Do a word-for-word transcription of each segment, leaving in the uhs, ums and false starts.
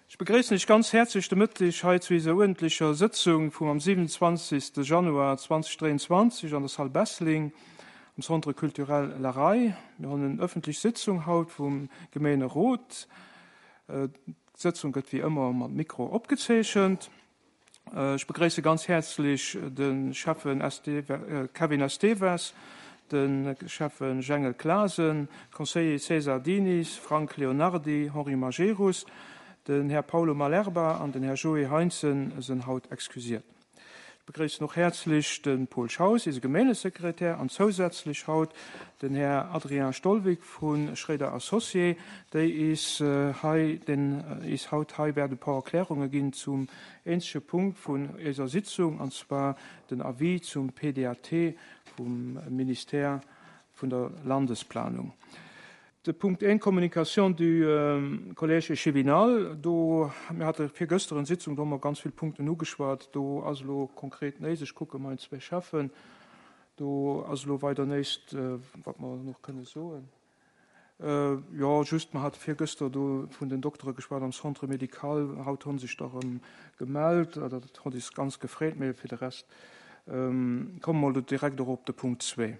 Ech begréissen iech ganz häerzlech de Mëtteg hei zu eiser uerdentlecher Sëtzung vum am siwenundzwanzegste Januar zweedausenddräianzwanzeg an der Salle Bessling am Centre culturel La Raye. Mir hunn en ëffentlech Sitzung haut vum Gemeenerot. D'Sëtzung gëtt wéi ëmmer mat Mikro opgezeechent. Ech begréisse ganz häerzlech de Schäffen Kevin Esteves, de Schäffen Jengel Clasen, Conseiller César Diniz, Frank Leonardi, Henri Majerus, den Här Paulo Malerba an den Här Joé Heinzen sënn haut excusiert. Ech begréissen och häerzlech de Paul Schaus, eise Gemeenesekretär, an zousätzlech haut den Här Adrien Stolwick vu Schréider Associés, déi is hei, den is haut hei wäert e paar Erklärunge ginn zum eenzege Punkt vun eiser Sitzung, an zwar den Avis zum P D A T vum Ministère vun der Landesplanung. De Punkt een, Communication du euh, Collège échevinal, do mir hate virgëschter eng Sitzung, do hu mer ganz vill Punkten ugeschwat, do ass lo konkret näischt, ech kucke meng zwee Schäffen, do ass lo weider näischt, äh, wat mer nach kënne soen. Äh, jo, just mer hate virgëschter do vun den Doktere geschwat am Centre médical, haut hunn sech der erëm gemellt, dat huet eis ganz gefreet, mee fir de Rest ähm, komme mer direkt och op de Punkt zwee.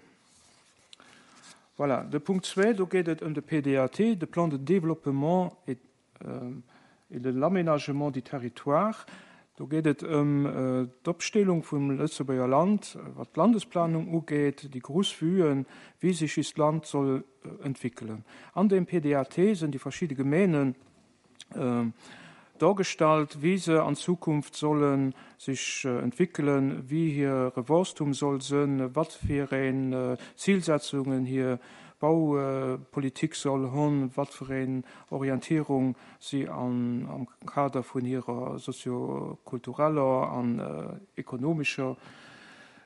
Voilà, de Punkt zwee, do geet et ëm de P D A T, de Plan de développement et, euh, et de l'aménagement du territoire. Do geet et ëm äh, d'Opstellung vum Lëtzebuerger Land, wat d'Landesplanung ugeet, déi grouss Vuen, wéi sech eist Land soll äh, entwéckelen. An dem P D A T sinn déi verschidde Gemeenen äh, dargestallt, wéi se an Zukunft solle sech äh, entwéckelen, wéi hire Wuesstum soll sinn, wat fir eng äh, Zilsetzungen hir Baupolitik soll hunn, wat fir eng Orientierung si an, am Kader vun hirer soziokultureller an äh, ekonomescher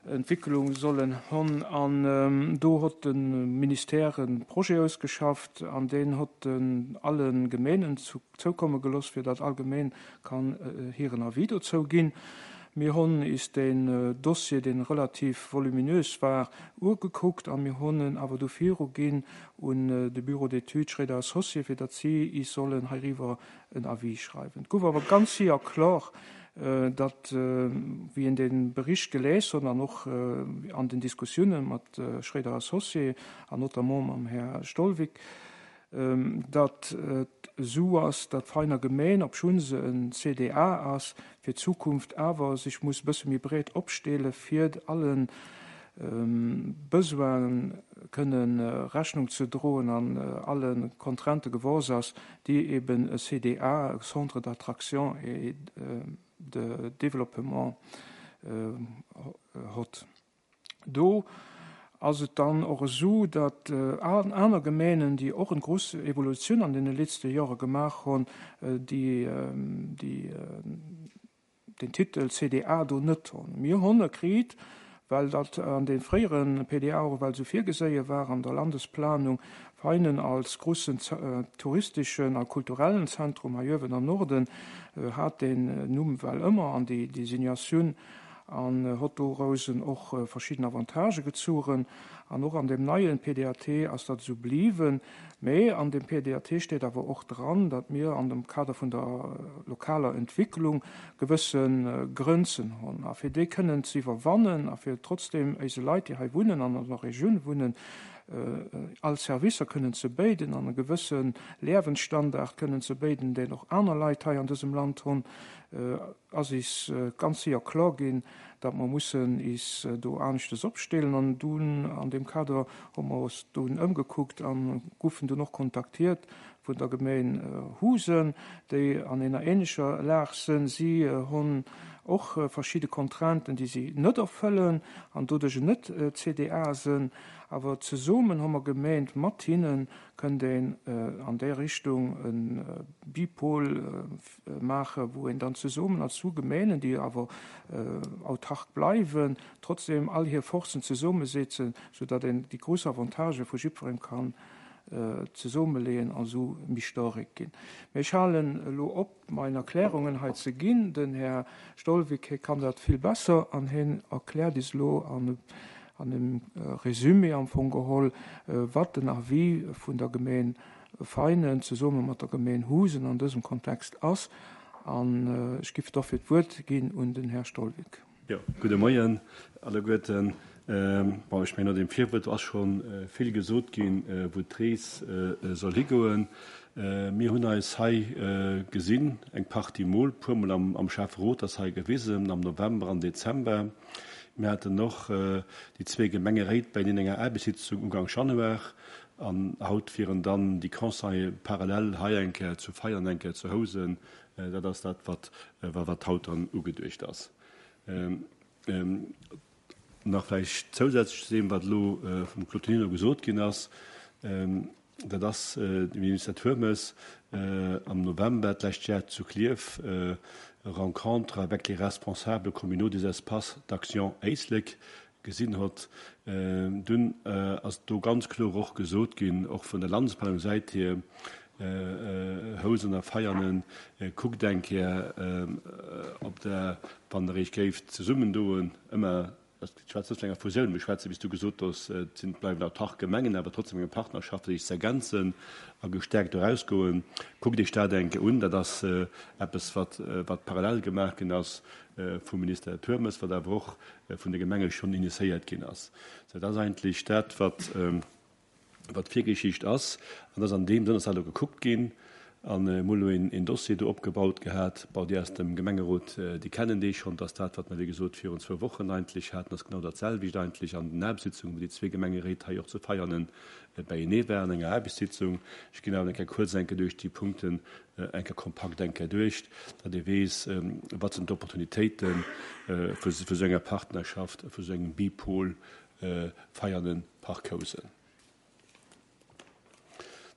Entwécklung sollen hunn. An ähm, do huet de Ministère e Projet ausgeschafft, an deen huet en alle Gemeenen zu, zoukomme gelooss, fir datt all Gemeng kann äh, hiren Avis dozou ginn. Mir hunn is den äh, Dossier, deen relativ voluminös war, ugekuckt a mir hunn en awer du viruginn un äh, de Bureau d'études Schréider Associés, fir datt si is sollen heiriwwer en Avis schreiwen. Gouf awer ganz séier kloer, äh, datt äh, wéi een de Bericht gelies huet an och äh, an den Diskussioune mat äh, Schréider Associés an notamment mam Här Stolwick, ähm, datt et sou ass, datt d'Veiner Gemeng, obschonn se en C D A ass, fir d'Zukunft awer sech muss bësse méi breet opstelle fir allen ähm, Besoine kënnen äh, Rechnung ze droen an äh, alle Contraintë gewuess ass, déi eben e C D A, Centre d'attraction et äh, de développement äh, huet. Do ass et dann och esou, datt äh, aner Gemeenen, déi och eng grouss Evolutioun an deene leschte Jore gemaach hunn, äh, déi, äh, déi äh, den Titel C D A do net hunn. Mir hunn e kritt, well dat an de fréiere P D A och well sou virgeséie war an der Landesplanung, Veinen als groussen äh, touristeschen a kulturellen Zentrum hei uewen am Norden äh, hat den Numm well ëmmer an déi Designatioun an äh, huet doraussen och äh, verschidden Avantagë gezogen. An och an dem neien P D A T ass dat sou bliwwen. Mee an dem P D A T steet awer och dran, datt mir an dem Kader vun der äh, lokaler Entwécklung gewësse Grenzen hunn. A fir déi kënnen ze iwwerwannen a fir trotzdem eise Leit, déi hei wunnen an an der Regioun wunnen, all Servicer kënnen ze bidden an e gewësse Liewensstandard kënnen ze bidden, deen och aner Leit hei an dësem Land hunn, ass is ganz séier kloer ginn, datt mer mussen is do aneschtes opstellen. An dunn an dem Kader hu mer eis dunn ëmgekuckt an goufen dunn och kontaktiert vun der Gemeng Housen, déi an enger änlecher Lag sinn. Si hunn och verschidde Contrainten, déi si net erfëllen an doduerch net C D A sinn. Awer zesummen hu mer gemengt, mat hinne kënnt een an déi Richtung e Bipol maachen, wou een dann zesummen als zwou Gemeenen, déi awer autark bleiwen, trotzdem all hir Forcen zesummesetzen, soudatt een déi grouss Avantagë vu jiddwerengem kann zesummeleeën a sou méi staark ginn. Mee ech halen elo op, meng Erklärungen hei ze ginn. Den Här Stolwick, hie kann dat vill besser an hien erkläert is elo an an dem Resumé am Fong geholl, wat den Avis vun der Gemeng Veianen zesumme mat der Gemeng Housen an dësem Kontext ass. An ech géif dofir d'Wuert ginn un den Här Stolwig. Jo, gudde Moien alleguerten. Ähm, bon, ech mengen, no deem Virwuert ass scho äh, vill gesot ginn, äh, wou d'Rees äh, soll higoen. Äh, mir hunn eis hei äh, gesinn, eng Partie Mol, puermol am, am Schäfferot ass hei gewisen, am November an Dezember. Mir haten och äh, déi zwee Gemengeréit bei enger Aarbechtssitzung Ugank Januar an haut wieren dann déi Conseiller parallel hei eng Kéier zu Veianen, eng Kéier zu Housen. Äh, dat ass dat, wat, äh, wat haut dann ugeduecht ass. Ähm, ähm, nach vläicht zousätzlech zu deem, wat elo äh, vum Claude Tonino gesot ginn ass, ähm, dat ass äh, de Minister Turmes äh, am November d'lescht Joer zu Klierf äh, Rencontre avec les responsables communaux des espaces d'action Éislek gesinn huet. Äh, dunn äh, ass do ganz kloer och gesot ginn, och vun der Landesplanungssäit hier, äh, äh, Housen a Veianen, äh, kuckt eng Kéier, äh, ob der, wann der iech géift zesummendoen, ëmmer ech schwätzen net vun enger Fusioun, mir schwätzen, wéi s du gesot hues, et sinn bleiwen autark Gemengen, awer trotzdem eng Partnerschaft, déi sech z'ergänzen a gestäerkt erausgoen. Kuckt iech dat eng Kéier un, dat ass äh, eppes, wat, äh, wat parallel gemaach ginn ass äh, vum Minister Turmes, wat awer och äh, vun de Gemenge schonn initiéiert ginn ass. Sou, dat ass eigentlech dat, wat, ähm, wat d'Virgeschicht ass. An dat ass an deem Sënn ass dat elo gekuckt ginn. An äh, mir hu een, een Dossier do opgebaut gehat, bon, déi aus dem Gemengerot, äh, déi kennen dee schonn, dass dat, wat mir wéi gesot virun zwou Wochen eigentlech haten, ass genau dat selwecht eigentlech an den Aarbechtssitzungen, wou déi zwee Gemengeréit hei och zu Veianen äh, beienee waren, enger Aarbechtssitzung. Ech ginn awer eng Kéier kuerz eng Kéier duerch déi Punkten äh, eng Kéier kompakt eng Kéier duerch, datt ee weess, ähm, wat sinn d'Opportunitéiten äh, vu, vu sou enger Partnerschaft, vu sou engem Bipol äh, Veianen Parc Housen.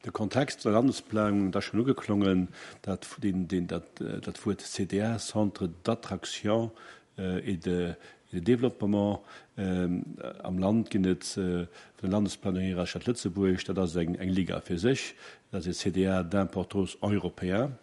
De Kontext der Landesplanung, dat ass schonn ugeklongen, dat, den, den, dat, äh, dat Wuert C D A, Centre d'attraction äh, et de, et de développement, ähm, am Land ginn et äh, vun der Landesplanung hier Stad Lëtzebuerg, dat ass eng, eng Liga fir sech, dat ass e C D A d'importance européen.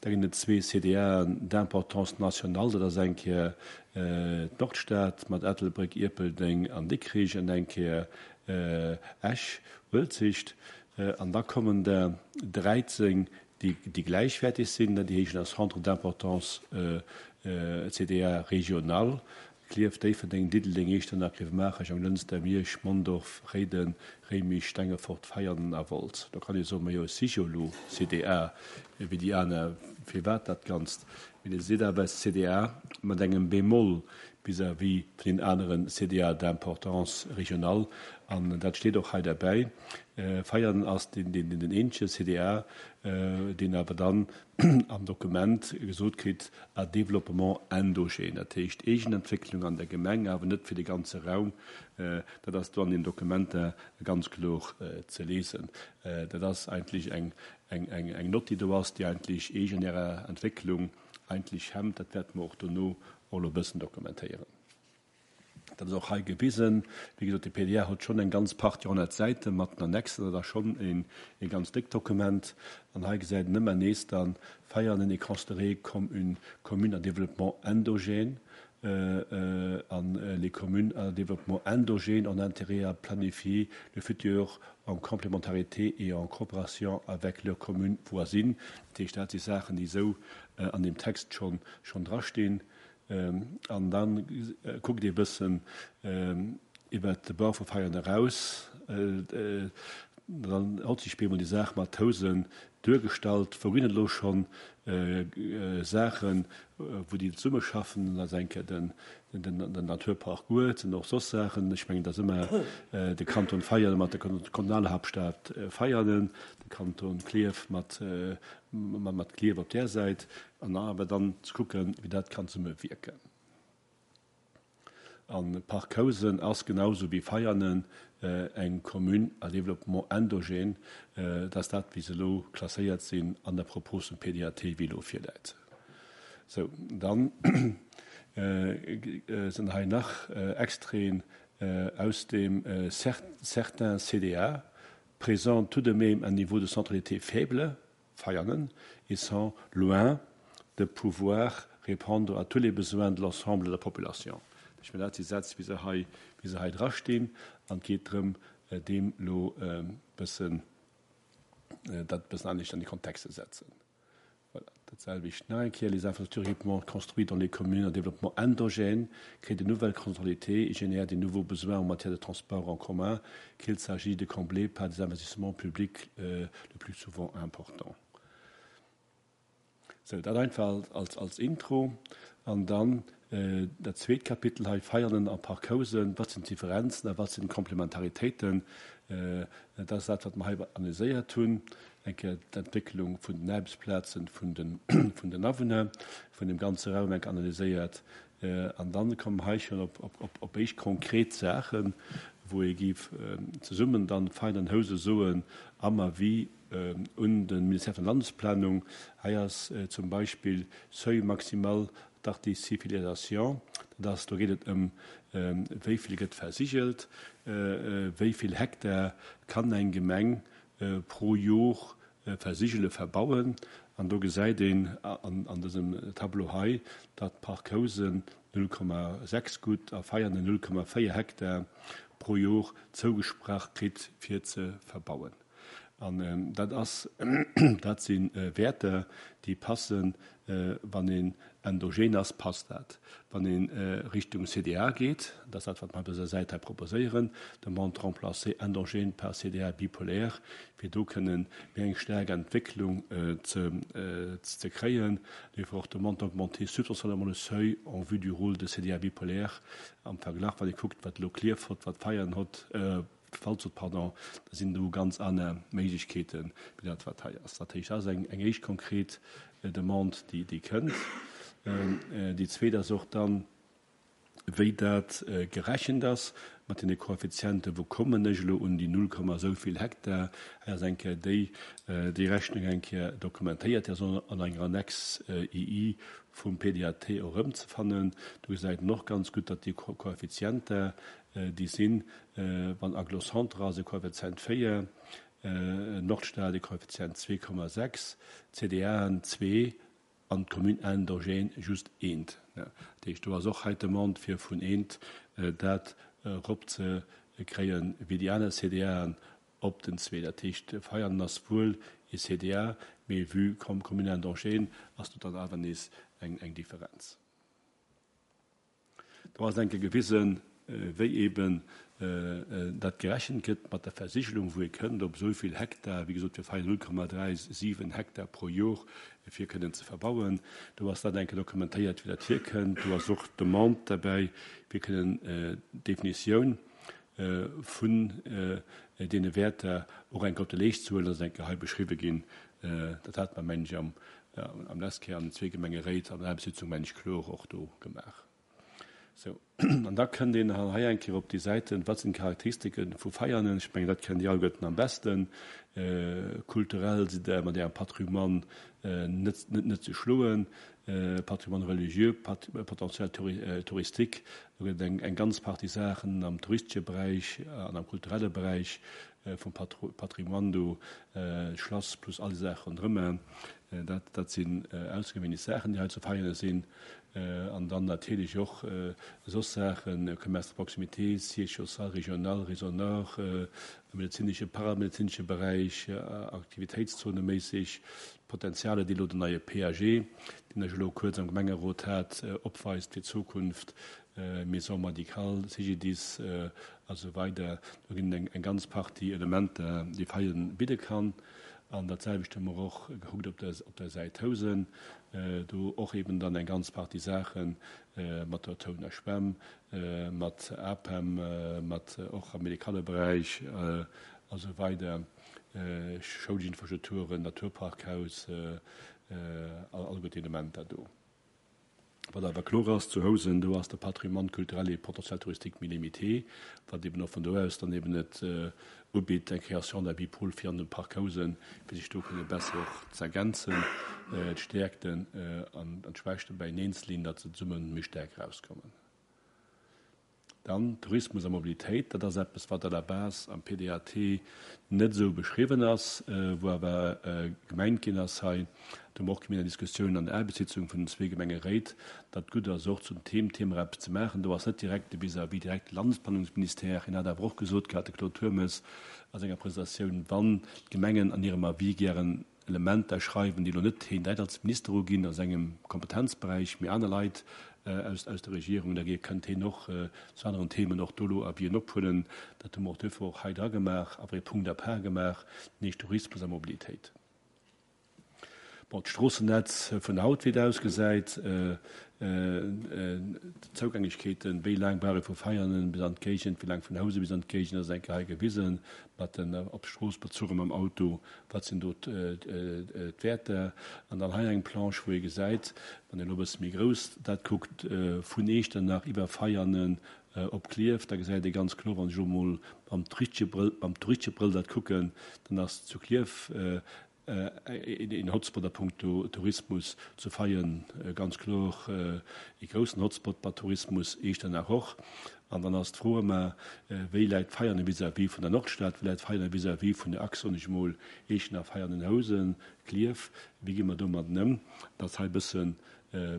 Da ginn et zwee C D A d'importance nationale, dat ass eng Kéier äh, d'Nordstad mat Ettelbréck, Ierpeldeng an Dikrich an eng Kéier äh, Esch, Uelzecht. Äh, an da kommen der dräizéng, déi, déi gläichwäerteg sinn, déi heeschen Centre d'importance äh, äh, C D A régional. Klierf, Déifferdeng, Diddeleng, Iechternach, Grevenmacher, Jonglënster, Miersch, Mondorf, Réiden, Réimech, Stengefort, Veianen a Wolz. Do kann ee soen, majo, si jo lo C D A wéi déi aner, firwat dat Ganzt? Mee et sinn awer C D A mat engem Bémol vis-à-vis vun den aneren C D A d'importance régionale. An dat steet och hei derbäi. Äh, Veianen ass den, den, den eenzege C D A, äh, deen awer dann am Dokument gesot kritt, à développement endogène. Dat heescht Eegenentwécklung an der Gemeng, awer net fir de ganze Raum. Äh, dat ass do an den Dokumenter ganz kloer äh, ze liesen. Äh, dat ass eigentlech eng, eng, eng, eng Nott, déi do ass, déi eigentlech eegen Entwécklung eigentlech hemmt. Dat wäerte mir och dono och e bëssen dokumentéieren. Dat ass och hei gewisen. Wéi gesot, de P D A huet schonn eng ganz Partie honnert Säite mat den Annexen, dat ass schonn een, e ganz déckt Dokument. An hei gesäit een ëmmer nees dann, Veianen est considéré comme une commune à développement endogène. Euh, euh, an euh, les communes à développement endogène ont intérêt à planifier le futur en complémentarité et en coopération avec leurs communes voisines. Dat heescht, dat si Saachen, déi sou äh, an dem Text schonn, schonn drastinn. Ähm, an dann äh, kuckt Dir e bëssen ähm, iwwer de Bau vu Veianen eraus. Äh, äh, dann huet sech bemol déi Saach mat Housen duergestallt, wou ginn et elo schonn äh, äh, Saachen, äh, wou déi zesummeschaffen, dat ass eng Kéier den, den, den Naturpark Goetz an och soss Saachen. Ech mengen, dat ass ëmmer äh, de Kanton Veianen mat der Kantonalhaaptstad äh, Veianen, de Kanton Klierf mat, äh, mat, mat Klierf op där Säit, an awer dann ze kucken, wéi dat kann zesummewierken. An Parc Housen ass genauso wéi Veianen äh, eng Commune à développement endogène, äh, dass dat wéi se lo klasséiert sinn an der Propos vum P D A T, wéi lo virläit. So, dann äh, äh, sinn hei nach äh, Extraiten äh, aus dem äh, certains C D A présentent tout de même un niveau de centralité faible, Veianen, et sont loin de pouvoir répondre à tous les besoins de l'ensemble de la population. Ech mengen, dat si Sätz, wéi se hei, wéi se hei drastinn, an et geet drëm, äh, deem lo äh, bëssen Dat e bëssen anescht an de Kontext ze setzen. Voilà. Dat selwecht nach eng Kéier, les infrastructures équipements construits dans les communes en développement endogène créent de nouvelles centralités et génèrent des nouveaux besoins en matière de transport en commun qu'il s'agit de combler par des investissements publics euh, le plus souvent importants. Sou, dat einfach als, als Intro. An dann äh, dat zweet Kapitel hei, Veianen a Parc Housen, wat sinn d'Differenzen a wat sinn d'Komplementaritéiten? Äh, dat ass dat, wat mer hei analyséiert hunn. Eng Kéier d'Entwécklung vun den Aarbechtsplazen vun den, vun den Awunner, vun dem ganze Raum eng analyséiert. Äh, an dann kommen hei schonn op, op, op, op éischt konkret Saachen, wou ee géif äh, zesummen dann Veianen Housen soen, am Avis äh, un de Ministère vun Landesplanung, hei ass äh, zum Beispill Seuil maximal d'artificialisation, dat ass, do geet et ëm, äh, wéi vill gëtt versigelt, äh, äh, wéi vill Hektar kann eng Gemeng äh, pro Joer äh, versigele verbauen. An do gesäit een an, an dësem Tableau hei, datt Parc Housen null Komma sechs gutt a Veianen null Komma véier Hektar pro Joer zougesprach kritt fir ze verbauen. An ähm, dat ass, dat sinn äh, Wäerter, déi passen, äh, wann een endogen ass, passt dat. Wann een äh, Richtung C D A geet, dat ass dat, wat mer op dëser Säit hei proposéieren, demande de remplacer endogène par C D A bipolaire, fir do kënnen méi eng staark Entwécklung äh, ze, äh, ze kréien. Duerfir och demande d'augmenter substantiellement le seuil en vue du rôle de C D A bipolaire. Am Verglach, wann ee kuckt, wat elo Klierf huet, wat Veianen huet, äh, Falz huet, pardon, da sinn do ganz aner Méiglechkeeten, wéi dat, wat hei ass. Dat heescht, dat ass eng, eng éischt konkret äh, Demande, déi, déi kënnt. Ähm, äh, déi zweet ass och dann, wéi dat äh, gerechent ass mat den Koeffizienten, wou kommen ech elo un déi null, esou vill Hektar. Hei ass eng Kéier déi, äh, déi Rechnung eng Kéier dokumentéiert, déi ass an enger Annex äh, I I vum P D A T och erëmzefannen. Do gesäit een och ganz gutt, datt déi Ko Koeffizienter, äh, déi sinn, äh, wann Agglo-Centre ass e Koeffizient véier, äh, Nordstad e Koeffizient zwee Komma sechs, C D Aen zwee an d'Commune endogène just eent. Ja. Dat heescht, do ass och hei d'Demande fir vun eent äh, dat erop ze kréien, wéi déi aner C D Aen op den zwee. Dat heescht, Veianen ass wuel e C D A, mee vue comme Commune endogène ass do dann awer nees eng, eng Differenz. Do ass eng Kéier gewisen, äh, wéi eben äh, äh, dat gerechent gëtt mat der Versigelung, wou ee kënnt op esou vill Hektar, wéi gesot, fir Veianen null Komma dräi siwen Hektar pro Joer fir kënnen ze verbauen. Do ass dat eng Kéier dokumentéiert, wéi dat hierkënnt. Do ass och d'Demande derbäi, fir kënnen äh, d'Definitioun äh, vun äh, deene Wäerter och eng Kéier op de Leescht ze huelen, dat ass eng Kéier hei beschriwwe ginn. Äh, dat hat mer, mengen ech, am, äh, am leschte Kéier an den zwee Gemengeréit an der Sitzung, mengen ech, kloer och do gemaach. Sou. An da kënnt een hei eng Kéier op déi Säiten, wat sinn d'Charakteristike vu Veianen? Ech mengen, dat kennt Dir alleguerten am beschten. Äh, kulturell sidd Der mat Ärem Patrimoine äh, net, net, net ze schloen. Äh, Patrimoine religieux, Pat Potentiel touri äh, touristique. Do gëtt et eng, eng ganz Partie Saachen am touristesche Beräich an am kulturelle Beräich äh, vum Patro Patrimoine do, äh, Schlass plus all déi Saache ronderëm. Äh, dat, dat sinn äh, aussergewéinlech Saachen, déi hei zu Veianen sinn. Äh, an dann natierlech och äh, soss Saachen, äh, Commerce de proximité, Siège social régional, Réseau Nord, äh, medezinesche, paramedezinesche Beräich, äh, aktivitéitszoneméisseg, Potenziale, déi elo den neie P A G, deen ech elo kuerz am Gemengerot hat, äh, opweist fir d'Zukunft, äh, Maison médicale, C G D I S äh, a sou weider. Do ginn eng, eng ganz Partie Elementer, déi Veianen bidde kann. An dat selwecht hu mer och gekuckt op der, op der Säit Housen, äh, do och eben dann eng ganz Partie Saachen äh, mat der Touner Schwämm, äh, mat A P E M, äh, mat och am medikale Beräich äh, a sou weider, äh, schoulesch Infrastrukturen, Naturparkhaus, äh, äh, all, all gutt Elementer do. Wat awer kloer ass, zu Housen, do ass de Patrimoine culturel et potentiel touristique méi limité, wat eben och vun do aus dann eben net äh, ubitt, eng Création d'un bipôle fir an dem Parc Housen, fir sech do kënne besser och ze ergänzen, äh, d'Stäerkten äh, an, an d'Schwächte beieneen ze leeën, datt se zesumme méi staark rauskommen. Dann Tourismus a Mobilitéit, dat ass eppes, wat à la base am P D A T net esou beschriwwen ass, wou awer gemengt ginn ass hei, do hu mer och gemeng Diskussioun an der Aarbechtssitzung vun den zwee Gemengeréit, datt gutt ass och zum Thema Thema eppes ze maachen. Do ass net direkt de vis-à-vis direkt de Landesplanungsministère. Hien hat awer och gesot gehat, de Claude Turmes, a senger Presentatioun, wann d'Gemengen an hirem Avis gären Elementer schreiwen, déi elo net hien direkt als Minister uginn a sengem Kompetenzberäich, mee aner Leit aus aus der Regierung, da kënnt hien och zu aneren Themen och do elo Avisen ophuelen. Dat hu mer och duerfir och hei dra gemaach, awer ee Punkt à part gemaach, deen heescht Tourismus a Mobilitéit. Bon, d'Stroossennetz vun haut, wéi et ausgesäit, d'Zougänglechkeeten, wéi laang brauch ee vu Veianen bis an d'Géigend, wéi laang vun Housen bis an d'Géigend, ass eng Kéier hei gewisen, mat den op d'Strooss bezuche mam Auto, wat sinn do d'Wäerter. An dann hei eng Planche, wou ee gesäit, wann een elo e bësse méi grouss dat kuckt, vun Eechternach iwwer Veianen op Klierf, da gesäit ee ganz kloer, wann ech elo mol mam touristesche Brëll, mam touristesche Brëll dat kucken, dann ass zu Klierf een Hotspot a puncto Tourismus, zu Veien ganz kloer ee groussen Hotspot bei Tourismus, Eechternach och. An dann ass d'Fro ëmmer, wéi läit Veianen vis-à-vis vun der Nordstad, wéi läit Veianen vis-à-vis vun der Achs, soen ech emol, Eechternach, Veianen, Housen, Klierf, wéi gi mer domadden ëm? Dat ass hei e bësse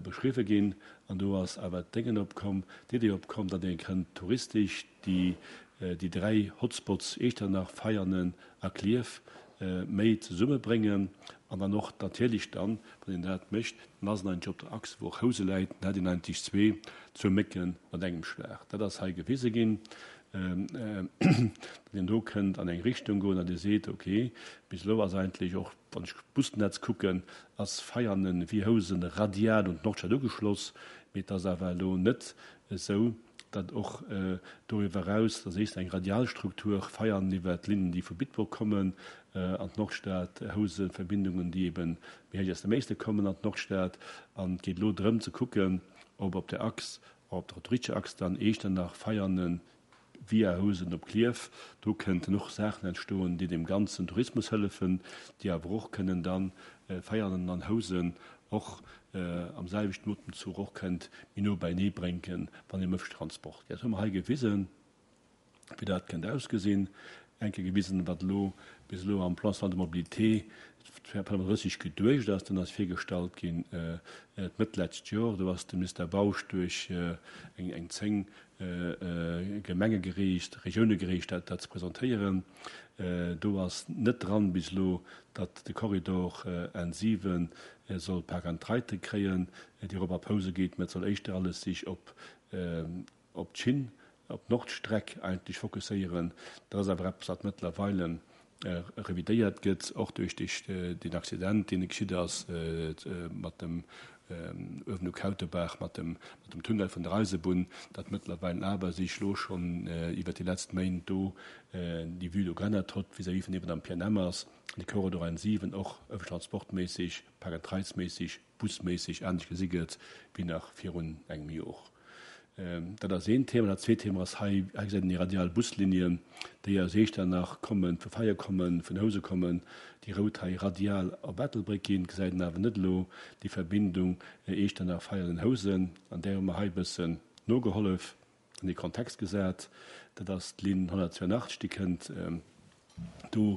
beschriwwe ginn. An do ass awer d'Déngen opkomm, d'Idee opkomm, datt ee kënnt touristesch déi déi dräi Hotspots Eechternach, Veianen a Klierf méi zesummebréngen an dann och natierlech dann, wann een dat mécht, dann ass en eigentlech op der Achs, wou och Housen läit, dann hätt een eigentlech zwee, zwou Mécke mat engem Schlag. Dat ass hei gewise ginn, datt een do kënnt an eng Richtung goen, datt ee seet, okay, bis elo ass eigentlech och, wann ech d'Busnetz kucken, ass Veianen wéi Housen radial un d'Nordstad ugeschloss, mee et ass awer elo net esou, datt och doriwwer eraus, datt éischter eng Radialstruktur, Veianen iwwer d'Linnen, déi vu Bitburg kommen an d'Nordstad, Housen, Verbindungen, déi eben méi héich aus dem Éislek kommen an d'Nordstad. An et geet elo drëm ze kucken, ob op der Achs, op der touristescher Achs dann Eechternach, Veianen via Housen op Klierf, do kënnten och Saachen entstoen, déi dem ganzen Tourismus hëllefen, déi awer och kënnen dann Veianen an Housen och am selwechten Otemzuch och kënnt méi no beienee bréngen, wann ee ëm Transport geet. Dat hu mer hei gewisen, wéi dat kënnt ausgesinn. Eng Kéier gewisen, wat elo bis elo am Plan national de mobilité zweedausendfënnefandrësseg geduecht ass. Dann ass virgestallt ginn d'Mëtt lescht Joer. Do ass de Minister Bausch duerch eng eng zéng Gemenge gereest, Regioune gereest, dat dat ze presentéieren. Do ass net dran bis elo, datt de Korridor N siwen soll Park and Ride kréien, déi erop op Housen geet, mä et soll éischter alles sech op op d'Schinn, op d'Nordstreck eigentlech fokusséieren. Dat ass awer eppes, wat mëttlerweile revidéiert gëtt, och duerch deen Accident, deen geschitt ass mat dem uewen u Kautebaach, mat dem mat dem Tunnel vun der Eisebunn, datt mëttlerweil awer sech elo schonn iwwer déi letzt Méint do déi Vue do geännert huet vis-à-vis vun deem, wat am P N M ass, de Korridor N siwen och ëffentlech transportméisseg, Park-and-Rides-méisseg, busméisseg anescht gesi gëtt wéi nach virun engem Joer. Dat ass een Thema. Dat zweet Thema ass hei, hei gesäit een déi radial Buslinien, déi aus Eechternach kommen, vu Veianen kommen, vun Housen kommen, déi rout hei radial op Ettelbréck ginn. Gesäit een awer net elo déi Verbindung Eechternach, Veianen, Housen. An där hu mer hei e bëssen nogehollef, an dee Kontext gesat. Dat ass d'Linn honnertzwouenachtzeg, déi kënnt do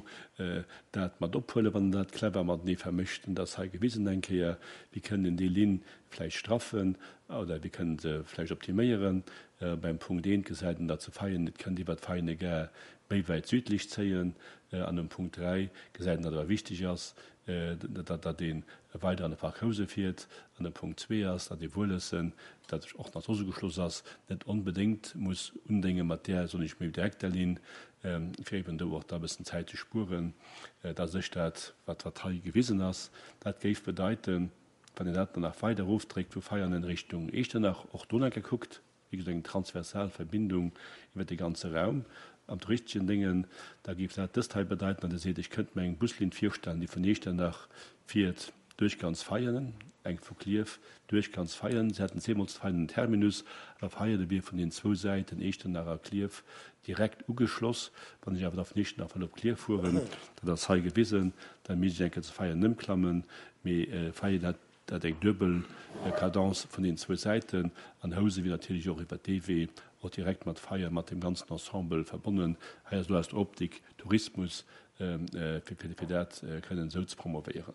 dat mat ophuelen, wann en dat clever matenee vermëscht. An dat ass hei gewisen eng Kéier, wéi kënnen een déi Linn vläicht straffen oder wéi kënnen se vläicht optiméieren. Beim Punkt eent gesäit een, datt se Veianen, et kënnt iwwert Veianen Gare méi wäit südlech zéien. An um Punkt dräi gesäit een, datt awer wichteg ass, datt datt ee weider an de Park Housen fiert. An de Punkt zwee ass, datt ee Wuelessen, dat och nach soss ugeschloss ass, net onbedéngt muss undénge mat där, soen ech, méi direkter Linn, fir eben do och da e bëssen Zäit ze spueren. Dat ass dat, wat wat hei gewisen ass. Dat géif bedeiten, wann een dat dann nach weider erofdréckt vu Veianen Richtung Eechternach, och do nach gekuckt, wéi gesot eng transversal Verbindung iwwer de ganze Raum am touristeschen Déngen, da géif dat dëst hei bedeiten, datt e seet, ech kënnt mer eng Buslinn virstellen, déi vun Eechternach fiert duerch ganz Veianen, eng vu Klierf duerch ganz Veianen. Se hätten zweemol zu Veianen en Terminus, awer Veianen wier vun den zwou Säiten, Eechternach a Klierf, direkt ugeschloss. Wann ech awer da vun Eechternach wëll op Klierf fueren, dat ass hei gewisen, da misst ech eng Kéier zu Veianen ëmklammen, mee Veianen hätt dat eng duebel Cadence vun den zwou Säiten an Housen wier natierlech och iwwer dee Wee och direkt mat Veianen, mat dem ganzen Ensemble verbonnen. Hei ass elo aus der Optik Tourismus, fir dat kënnen esou ze promovéieren.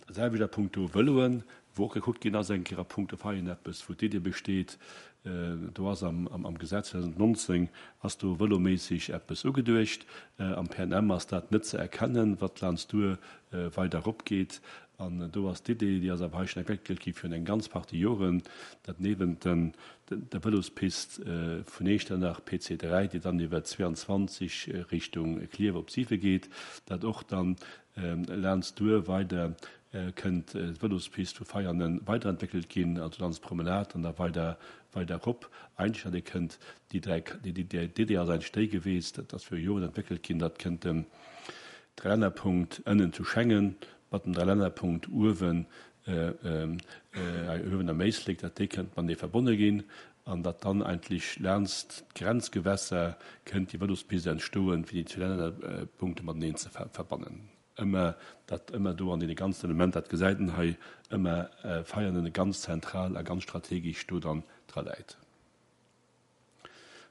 Dat selwecht a puncto Vëloen, wou och gekuckt ginn ass, eng Kéier a puncto Veianen eppes, wou d'Idee besteet, do ass am Gesetz zweedausendnonzéng ass do vëloméisseg eppes ugeduecht, am P N M ass dat net ze erkennen, wat laanscht duer weider eropgeet. An do ass d'Idee, déi ass awer hei schonn entwéckelt gi virun eng ganz Partie Joren, datt niewent der Vëlospist vun Echternach P C dräi, déi dann iwwer zwéianzwanzeg Richtung Klierf op siwe geet, datt och dann laanscht duer weider kënnt d'Vëlospist vu Veianen weiderentwéckelt ginn, also laanscht d'Promenade an da weider weider erop. Eigentlech datt ee kënnt déi dräi, d'Idee ass eigentlech déi geweest, dat ass viru Joren entwéckelt ginn, datt kënnt den Dreilännerpunkt ënnen zu Schengen mat dem Dreilännerpunkt uewen uewen am Éislek, datt déi kënnt matenee verbonne ginn an datt dann eigentlech laanscht d'Grenzgewässer kënnt déi Vëlospist entstoen, fir déi zwee Lännerpunkte mateneen ze verbannen. Ëmmer dat ëmmer do an deene ganzen Elementer, dat gesäit een hei, ëmmer Veianen ganz zentral a ganz strategesch do dann dra läit.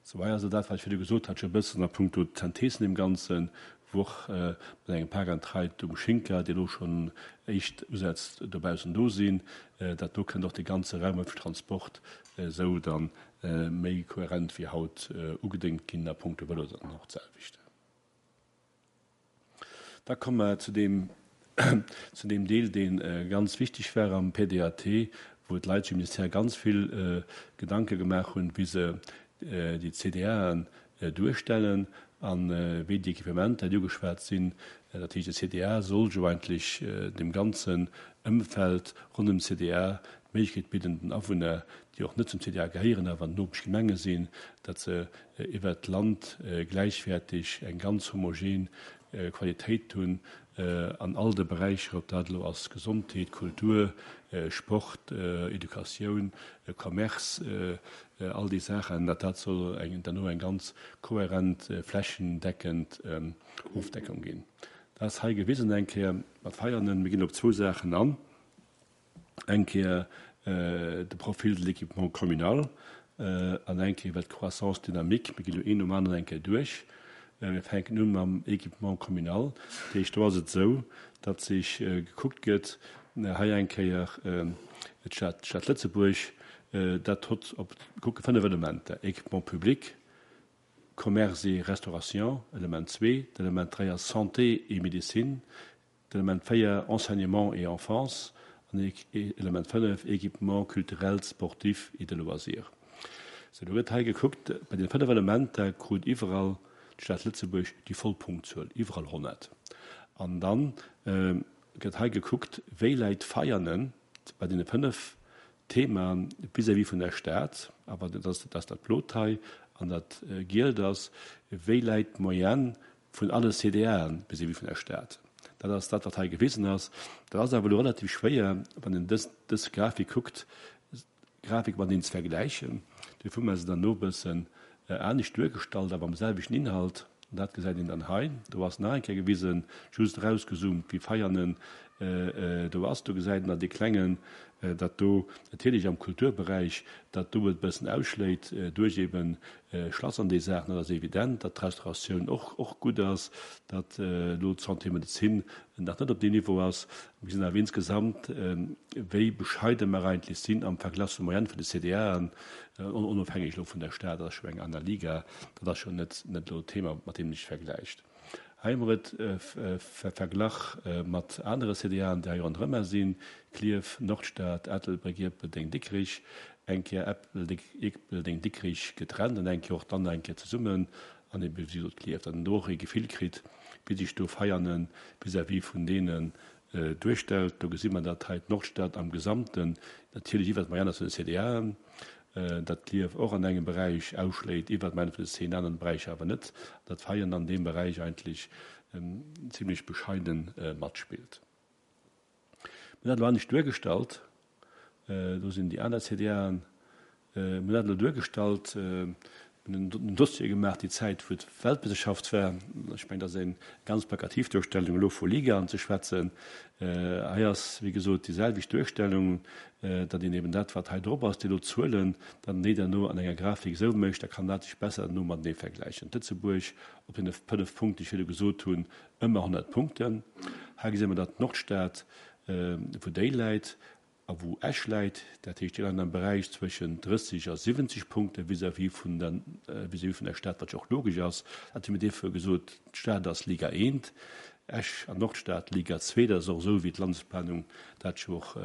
Sou, hei ass dat, wat ech virdu gesot hat, scho e bëssen a puncto Synthesen im Ganzen, wou och mat engem Park and Ride um Schinker, dee elo schonn éischt Usätz dobaussen do sinn, dat do kënnt och de ganze Raum öffentlichen Transport esou dann méi kohärent wéi haut ugedéngt ginn a puncto Vëlo dann och d'selwecht. Da komme mer zu deem, zu deem Deel, dee ganz wichteg war am P D A T, wou d'Leit sech um Ministère ganz vill Gedanke gemaach hunn, wéi se déi C D Aen duerstellen an wéi déi Equipementer, déi ugeschwat sinn. Dat heescht, de C D A soll jo eigentlech dem ganzen Ëmfeld ronderëm den C D A d'Méiglechkeet bidden, den Awunner, déi och net zum C D A gehéieren, awer Nopeschgemenge sinn, datt se iwwert d'Land gläichwäerteg eng ganz homogen Qualitéit hunn an all de Beräicher, ob dat elo ass Gesondheet, Kultur, Sport, Educatioun, Commerce, all déi Saachen, datt dat soll eng derno eng ganz kohärent, flächendeckend Ofdeckung ginn. Dat ass hei gewisen eng Kéier mat Veianen. Mir ginn op zwou Saachen an. Eng Kéier de Profil de l'équipement communal an eng Kéier iwwert d'Croissance dynamique. Mir ginn elo een nom aneren eng Kéier duerch. Mir fänken u mam Équipement communal. Dat heescht, do ass et esou, datt sech gekuckt gëtt, hei eng Kéier d'Stad, d'Stad Lëtzebuerg, dat hott op, kucke fënnef Elementer, Équipement public, Commerce et restauration, Element zwee, d'Element dräi ass Santé et médecine, d'Element véier Enseignement et enfance an Element fënnef Équipement culturel, sportif et de loisirs. Sou, do gëtt hei gekuckt, bei den fënnef Elementer krut iwwerall d'Stad Lëtzebuerg déi voll Punktzuel, iwwerall honnert. An dann gëtt hei gekuckt, wéi läit Veianen bei deene fënnef Themaen vis-à-vis vun der Stad, awer dat ass dat dat Blot hei an dat Gielt ass, wéi läit d'Moyenne vun alle C D Aen vis-à-vis vun der Stad. Dat ass dat, wat hei gewisen ass. Dat ass awer elo relativ schwéier, wann een dës, dës Grafik kuckt, Grafik mateneen ze vergläichen. Dofir hu mer se dann no e bëssen anescht duergestallt, awer am selwechten Inhalt. An dat gesäit een dann hei. Do ass nach eng Kéier gewisen, just erausgezoomt, wéi Veianen do ass. Do gesäit een dann dee klengen, datt do natierlech am Kulturberäich, datt do et e bëssen ausschléit duerch eben Schlass an déi Saachen. Dat ass evident, datt d'Restauratioun och, och gutt ass, datt elo d'Santé Medezin nach net op deem Niveau ass. Mir gesinn awer insgesamt, wéi bescheide mer eigentlech sinn am Verglach zur Moyenne vun de C D Aen, onofhängeg elo vun der Stad, dat ass scho eng aner Liga, dat ass scho net, net elo d'Thema, mat deem een sech vergläicht. Hei hu mer et verglach mat anere C D Aen, déi hei ronderëm sinn, Klierf, Nordstad, Ettelbréck, Ierpeldeng, Dikrich, eng Kéier Ierpeldeng, Dikrich getrennt an eng Kéier och dann eng Kéier zesummen an ebe wéi gesot Klierf, datt een do och e Gefill kritt, wéi sech do Veianen vis-à-vis vun deenen duerstellt. Do gesi mer, datt hei d'Nordstad am Gesamten natierlech iwwert d'Moyenne ass vun de C D Aen, datt Klierf och an engem Beräich ausschléit iwwert d'Moyenne vun de zéng aneren Beräicher awer net, datt Veianen an deem Beräich eigentlech zimlech bescheiden matspillt. Mir hunn dat elo anescht duergestallt, do sinn déi aner C D Aen, mir hunn dat elo duergestallt Mir hunn en Dossier gemaach déi Zäit, wou d'Weltmeeschterschaft war. Ech mengen, dat ass eng ganz plakativ Duerstellung, elo vu Ligaen ze schwätzen. Hei ass, wéi gesot, déi selwecht Duerstellung, datt een eben dat, wat hei drop ass, déi do Zuelen, datt een déi derno an enger Grafik esou mécht, da kann dat sech besser derno matenee vergläichen. Lëtzebuerg op deene fënnef Punkten, déi ech virdu gesot hunn, ëmmer honnert Punkten. Hei gesi mer, datt d'Nordstad, wou déi läit, a wou Esch läit, dat heescht, déi leien am Beräich zwëschen drësseg a siwwenzeg Punkte vis-à-vis vun der, vis-à-vis vun der Stad, wat jo och logesch ass. Dat hu mir duerfir gesot, d'Stad ass Liga eent, Esch an Nordstad Liga zwee. Dat ass och esou, wéi d'Landesplanung dat jo och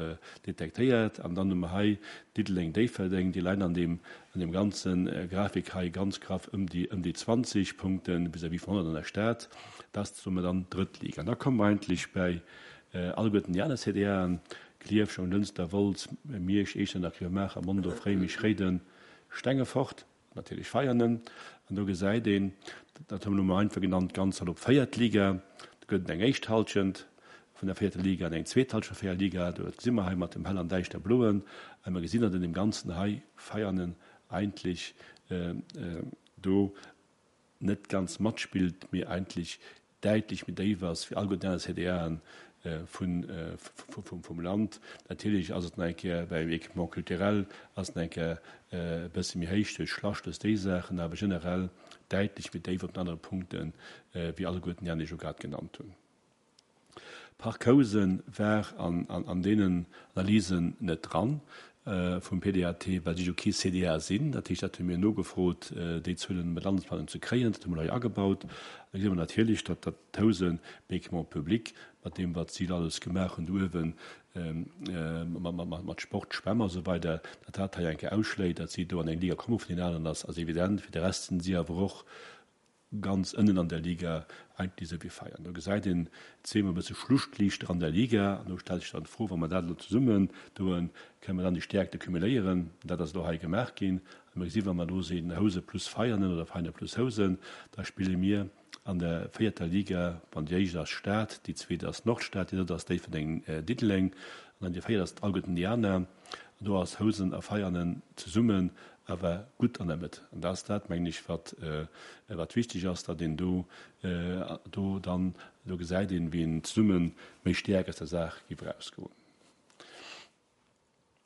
detektéiert. An dann hu mer hei Diddeleng, Déifferdeng, déi leien an deem, an deem ganze Grafik hei ganz graff ëm déi, ëm déi zwanzeg Punkte vis-à-vis vun honnert an der Stad. Dat ass, soe mer dann, drëtt Liga. An da komme mer eigentlech bäi alleguerten déi aner C D Aen, Klierf, Jonglënster, Wolz, Miersch, Iechternach, Gréiwemaacher, Mondorf, Réimech, Réiden, Stengefort, natierlech Veianen. An do gesäit een, dat hu mer elo mol einfach genannt, ganz salopp véiert Liga. Do gëtt et eng éischt Hallschent vun der véierter Liga an eng zweet Hallschent vun der véierter Liga. Do gesi mer hei mat dem hell an däischter bloen. A mer gesinn, datt an deem Ganzen hei Veianen eigentlech do net ganz matspillt, mee eigentlech däitlech méi déif ass wéi alleguerten aner C D Aen vum Land. Natierlech ass et nach eng Kéier beim Équipement culturel ass et nach eng Kéier e bësse méi héich duerch Schlaschtes, déi Saachen, awer generell däitlech méi déif op den anere Punkte wéi alleguerten déi aner, déi ech elo grad genannt hunn. Parc Housen war an deenen Analysen net dran vum P D A T, well si jo kee C D A sinn. Dat heescht, dat hu mir nogefrot, déi Zuelen mat Landesplanung ze kréien. Dat hu mer hei agebaut. Da gesi mer natierlech, datt dat Housen Équipement public, mat deem, wat si alles gemaach hunn do uewen, mat Sport, Schwämm a sou weider, datt dat hei eng Kéier ausschléit, datt si do an eng Liga komme vun deenen aneren, ass evident. Fir de Rest sinn si awer och ganz ënnen an der Liga, eigentlech esou wéi Veianen. Do gesäit een zweemol e bësse Schluchtliichter an der Liga an do stellt sech dann d'Fro, wa mer dat elo zesummen doen, kënne mer dann déi Stäerkte cumuléieren? Dat ass elo hei gemaach ginn a mir gesi wa mer do sinn Housen plus Veianen oder Veianen plus Housen, da spille mir an der véierter Liga, wann déi éischt ass Stad, déi zweet ass Nordstad, déi drëtt ass Déifferdeng-Diddeleng an dann déi véiert ass alleguerten déi aner. An do ass Housen a Veianen zesummen awer gutt an der Mëtt. An dat ass dat, mengen ech, wat, wat wichteg ass, datt een do, do dann, do gesäit een, wéi een zesumme méi stäerk aus der Saach géif erausgoen.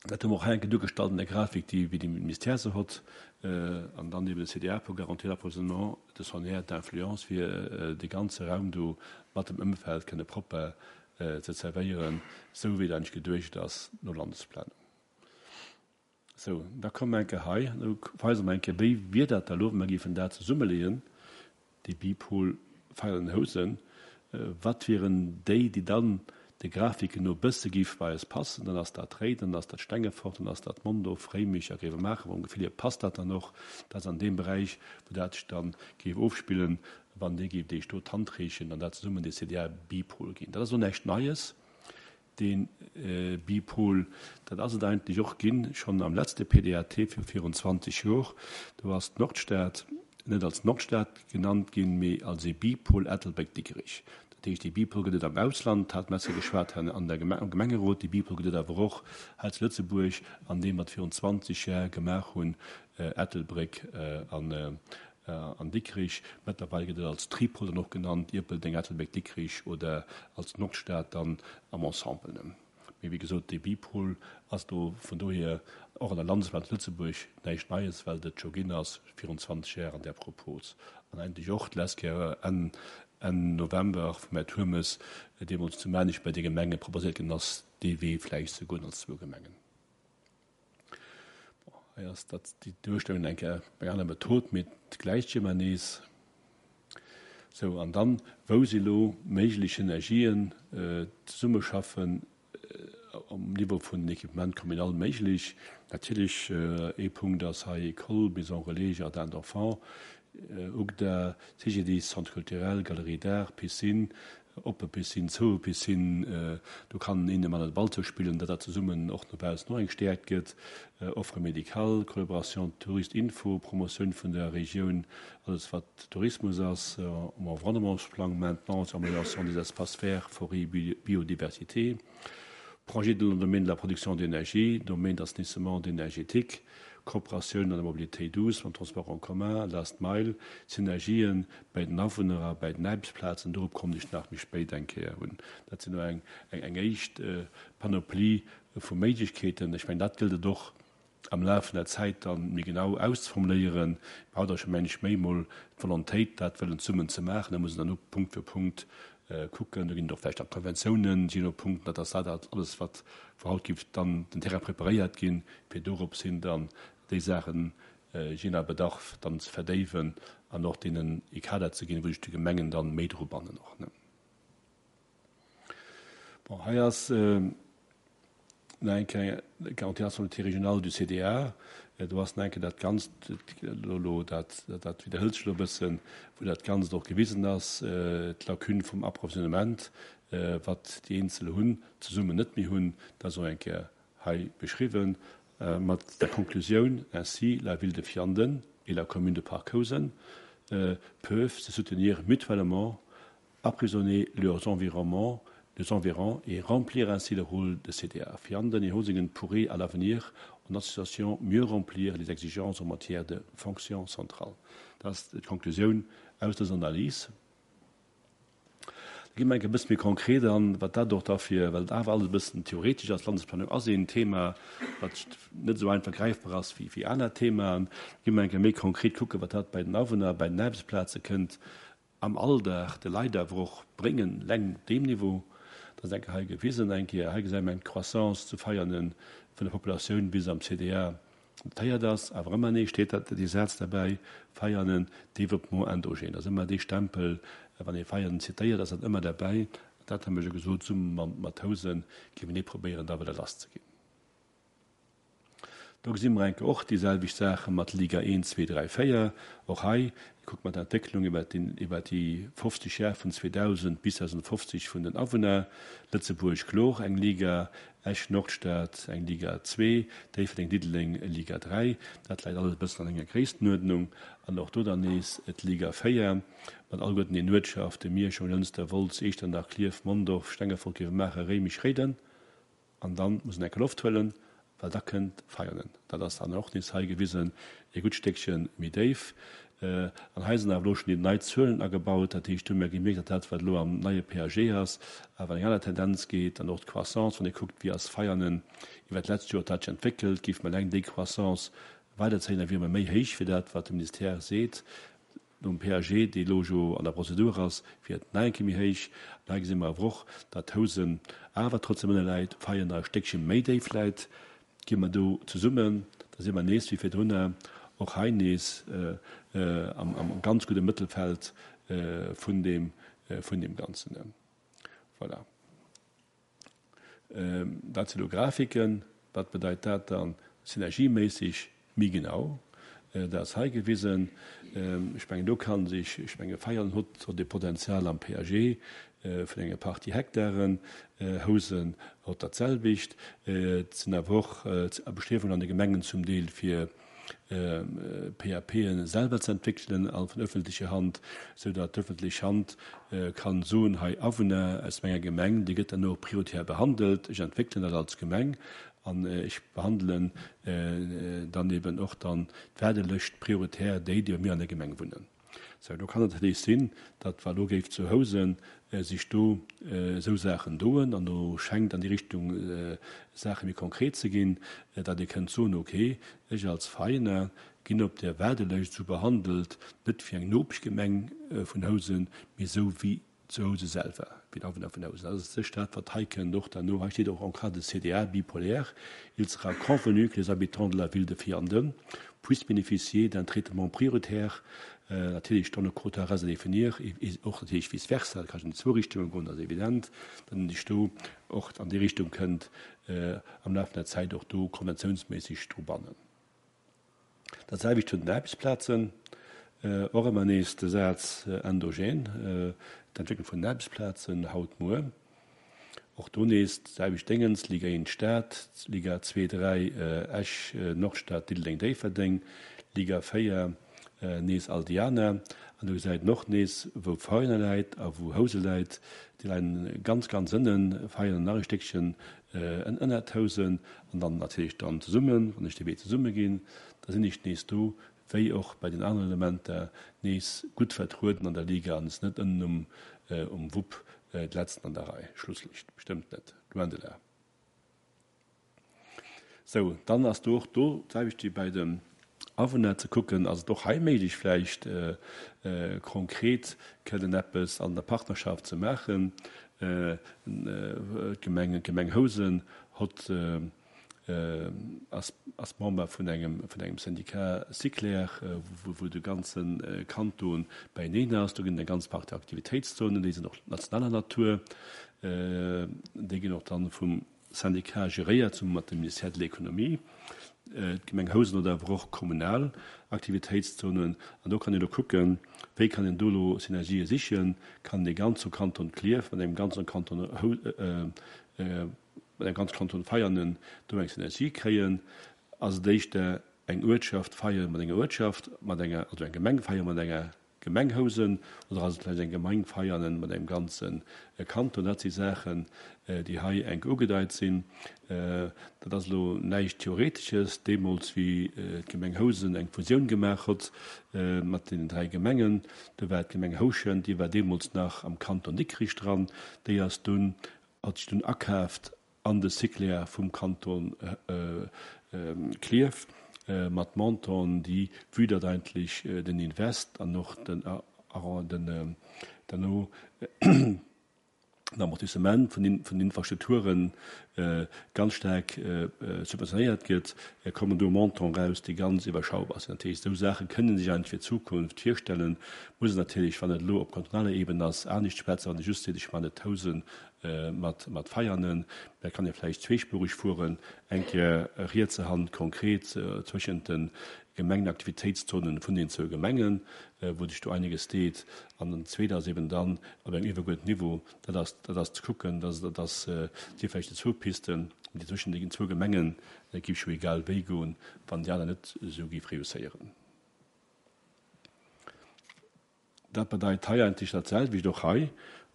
Dat hu mer och hei eng Kéier duergestallt an der Grafik, déi wéi de Ministère se hott, an dann eben de C D A pour garantir l'approvisionnement de son aire d'influence, fir dee ganze Raum do mat dem Ëmfeld kënne propper ze zerwéieren, esou wéi et eigentlech geduecht ass no Landesplanung. Sou, da komme mer eng Kéier hei, do weise mer eng Kéier, wéi wier dat da elo, wa mer géifen dat zesummeleeën, dee Bipol Veianen-Housen, wat wieren déi, déi dann de Grafiken no e bësse géif bei eis passen. Dann ass dat Réiden, dann ass dat Stengefort, dann ass dat Mondorf, Réimech a Gréiwemaacher. Mam Gefill hier passt dat dann och. Dat ass an deem Beräich, wou dat sech da géif ofspillen, wann Dir géift Iech do d'Hand reechen an dat zesummen dee C D A-Bipol ginn. Dat ass elo näischt Neies. Dee Bipol, dat ass et eigentlech och ginn, schonn am letzte P D A T vu virun zwanzeg Jor. Do ass d'Nordstad net als Nordstad genannt ginn, mee als ee Bipol Ettelbréck-Dikrech. Dat heescht, dee Bipol gëtt et am Ausland, hat Messer geschwat an der am Gemengerot, dee Bipol gëtt et awer och hei zu Lëtzebuerg, an deem wat virun zwanzeg Jar gemaach hunn, Ettelbréck an an Dikrich. Mëttlerweil gëtt et als Tripol dann och genannt, Ierpeldeng, Ettelbréck, Dikrich, oder als Nordstad dann am Ensemble. Mee wéi gesot, dee Bipol ass do vun dohier och an der Landesplanung zu Lëtzebuerg näischt Neies, well et scho ginn ass virun zwanzeg Jar an där Propos. An eigentlech och d'lescht Kéier Enn Enn November vum Här Turmes deemools zu Maarnech bei de Gemenge proposéiert ginn ass, dee Wee vläicht ze goen als zwou Gemengen. Bon, hei ass dat déi Duerstellung eng Kéier eng aner Method, mee d'gläicht Schema nees. Sou, an dann, wou si lo méiglech Synergien, zesummeschaffen um Niveau vun den Équipements communaux méiglech? Natierlech, ee Punkt ass hei École, Maison relais, Jardin d'enfants, U G D A, C G D I S, Centre culturel, Galerie d'art, Piscine, oppe Piscine, zoue Piscine, do kann een mat de Ball zoupillen, datt dat zesummen och no baussen och eng Stäerkt gëtt, Offre médicale, Collaboration Tourist-Info, Promotioun vun der Regioun, alles wat Tourismus ass, um Environnementsplang, Maintenance, Amélioration des espaces verts, Forêt, Biodiversité, Projet dans le domaine de la production d'énergie, domaine d'assainissement énergétique, Kooperatioun an der Mobilité douce, mam Transport en commun, Last Mile, Synergien bei den Awunner a bei den Aarbechtsplazen, dorop kommen ech nach méi spéit eng Kéier un. Dat sinn elo eng, eng, eng éischt Panoplie vu Méiglechkeeten. Ech mengen, dat gëllt et och am Laf vun der Zäit dann méi genau auszeformuléieren. Mir haut ass scho, mengen ech, méi emol d'Volontéit, dat wëllen zesummen ze maachen. Da muss een dann och Punkt fir Punkt kucken. Do ginn et och vläicht nach Konventiounen, jee no Punkt. Dat ass dat alles, wat vu haut géif dann den Terrain preparéiert ginn, fir dorops hin dann déi Saachen jee no Bedarf dann ze verdéiwen an och deenen e Kader ze ginn, wou sech déi Gemengen dann méi dru bannen och. Bon, hei ass nach eng Kéier d'Garantie nationalité régionale du C D A. Do ass nach eng Kéier dat Ganzt elo, dat, dat widderhëlt sech elo e bëssen, wou dat Ganzt och gewisen ass, d'Lacune vum Approvisionnement, wat déi eenzel hunn, zesummen net méi hunn. Dat ass och eng Kéier hei beschriwwen mat der Konklusioun: Ainsi, la ville de Vianden et la commune de Parc Housen peuvent se soutenir mutuellement, approvisionner leurs environnements, leurs environs et remplir ainsi le rôle de C D A. Vianden et Hosingen pourraient à l'avenir, en association, mieux remplir les exigences en matière de fonction centrale. Dat ass d'Konklusioun aus dëser Analys. Da gi mer e bësse méi konkret an, wat dat och dafir, well et awer alles e bëssen theoretesch ass. Landesplanung ass een Thema, wat net esou einfach gräifbar ass wéi, wéi aner Themaen. Gi mer eng méi konkret kucken, wat dat bei den Awunner, bei den Aarbechtsplaze kënnt am Alldag de Leit awer och bréngen, leng deem Niveau. Dat ass eng Kéier hei gewisen, eng Kéier hei gesäit mer eng Croissance zu Veianen vun der Populatioun bis am C D A notéiert ass, awer ëmmer nees steet dat dee Saz derbäi, Veianen, développement endogène. Dat ass ëmmer dee Stempel, wann ee Veianen zitéiert, ass dat ëmmer derbäi. Dat hu mer jo gesot, zesumme mat Housen géife mir probéieren, da weider lass ze ginn. Do gesi mer eng Kéier och déi selwecht Saache mat Liga eent, zwee, dräi, véier. Och hei kucke mer d'Entwécklung iwwer iwwer déi fofzeg Jar vun zweedausend bis zweedausendfofzeg vun den Awunner. Lëtzebuerg kloer eng Liga, Esch Nordstad eng Liga zwee, Déifferdeng Diddeleng Liga dräi. Dat läit alles e bëssen an enger Gréisstenuerdnung. An och do dann nees d'Liga véier mat alleguerten den Uertschaften, Miersch, Jonglënster, Wolz, Iechternach, Klierf, Mondorf, Stengefort, Grevenmacher, Réimech, Réiden. An dann muss een eng Kéier Loft huelen, well da kënnt Veianen. Dat ass dann och nees hei gewisen, e gutt Stéckche méi déif. An hei sinn awer elo schonn déi nei Zuelen agebaut. Dat heescht, do hu mir gemierkt, datt dat, wat elo am neie P A G ass, awer an eng aner Tendenz geet. An och d'Croissance, wann ee kuckt, wéi ass Veianen iwwer d'letzt Joer dat sech entwéckelt, géife mer eleng déi Croissance weiderzéien, da wiere mer méi héich wéi dat, wat de Ministère seet. Nom P A G, dee elo jo an der Prozedur ass, wier et nach eng Kéier méi héich. An hei gesi mer awer och, datt Housen awer trotzdem ënne läit, Veianen nach e Stéckche méi déif läit. Gi mer do zesummen, da si mer nees wéi virdrunner och hei nees am, am ganz gudde Mëttelfeld vun deem, vun deem Ganzen. Voilà. Dat si lo Grafiken. Wat bedeit dat dann synergieméisseg méi genau? Dat ass hei gewisen. Ech mengen, do kann sech, ech menge Veianen huet huet e Potenzial am P A G vun enger Partie Hektaren, Housen huet dat selwecht. Et sinn awer och Bestriewungen an de Gemengen zum Deel fir P A P'en selwer ze entwéckelen a vun ëffentlecher Hand, sou datt d'ëffentlech Hand kann soen, hei Awunner aus menger Gemeng, déi gëtt dann och prioritär behandelt, ech entwéckelen dat als Gemeng an ech behandelen dann eben och dann d'Waardelëscht prioritär déi, déi bei mir an der Gemeng wunnen. Sou, do kann et natierlech sinn, datt wa lo géif zu Housen sech do esou Saachen doen, an do schengt an déi Richtung Saache méi konkret ze ginn, datt ee kënnt soen, okay, ech als Veiener ginn op der Waardelëscht esou behandelt, net wéi eng Nopeschgemeng vun Housen, mee esou wéi zu Housen selwer, wéi d'Awunner vun Housen. Dat ass sech dat, wat hei kënnt och derno. Hei steet och en cas de C D A bipolaire, il sera convenu que les habitants de la ville de Vianden puissent bénéficier d'un traitement prioritaire, natierlech dann e Quota reste à définir, och natierlech vice versa, dat ka an déi zwou Richtunge goen, dat ass evident, datt een sech do och an déi Richtung kënnt am Laf vun der Zäit och do konventiounsméisseg dru bannen. Dat selwecht zu den Aarbechtsplazen, och ëmmer nees de Saz endogen, d'Entwécklung vun den Aarbechtsplazen haut, muer. Och do nees d'selwecht Déngens, Liga eent Stad, Liga zwee, dräi Esch, Nordstad, Diddeleng, Déifferdeng, Liga véier nees all déi aner. An do gesäit een och nees, wou Veianen läit a wou Housen läit. Déi leien ganz, ganz ënnen, Veianen nach e Stéckchen ënnert Housen an dann natierlech dann zesummen. Wann ech dee Wee zesumme ginn, da sinn ech nees do, wéi och bei den aneren Elementer, nees gutt vertrueden an der Liga an ass net ënnen um, um Wupp d'Letzten an der Rei. Schlusslicht, bestëmmt net, loin de là. Sou, dann ass do och do d'selwecht wéi bei den Awunner ze kucken, ass et och hei méiglech vläicht konkret kënnen eppes an der Partnerschaft ze maachen. D'Gemeng, d'Gemeng Housen hott, ass, ass Member vun engem, vun engem Syndicat Siclair, wou, wou de ganze Kanton beieneen ass. Do ginn et eng ganz Partie Aktivitéitszonen, déi sinn och nationaler Natur. Déi ginn och dann vum Syndicat geréiert, zesumme mat dem Ministère de l'Économie. D'Gemeng Housen huet awer och kommunal Aktivitéitszonen. An do kann een elo kucken, wéi kann een do elo Synergië sichen. Kann een e ganze Kanton Klierf mat engem ganze Kanton mat engem ganze Kanton Veianen do eng Synergie kréien? Ass et éischter eng Uertschaft Veianen mat enger Uertschaft, mat enger, also eng Gemeng Veianen mat enger Gemeng Housen oder ass et vläicht eng Gemeng Veianen mat engem ganze Kanton? Dat si Saachen, déi hei enk ugedeit sinn. Dat ass elo näischt Theoretesches. Deemools, wéi d'Gemeng Housen eng Fusioun gemaach huet mat deenen dräi Gemengen, do war d'Gemeng Houschent, déi war deemools nach am Kanton Dikrich dran, déi ass dunn, hat sech dunn akaaft an de Cyclair vum Kanton Klierf mat Montanten, déi, vue datt eigentlech den Invest an och den den derno den Amortissement vun den Infrastrukture ganz staark subventionéiert gëtt, kommen do Montanten eraus, déi ganz iwwerschaubar sinn. Dat heescht, esou Saache kënnen sech eigentlech fir d'Zukunft virstellen, muss een natierlech, wann et elo op kantonaler Ebene ass, anescht schwätzen, wann ee just seet, ech maachen et Housen mat mat Veianen. Da kann ee vläicht zweespurig fueren, eng Kéier rietse Hand konkret zwëschent de Gemengenaktivitéitszonen vun den zwou Gemengen, wou sech do einiges deet, an den zweet ass eben dann op engem iwwergeuerdenten Niveau, dat ass dat ass ze kucken, dat dat ass si vläicht déi zwou Pisten, déi zwëschen den zwou Gemengen géif jo egal wéi goen, wann déi aner net esou géif reusséieren. Dat bedeit hei eigentlech dat selwecht och hei,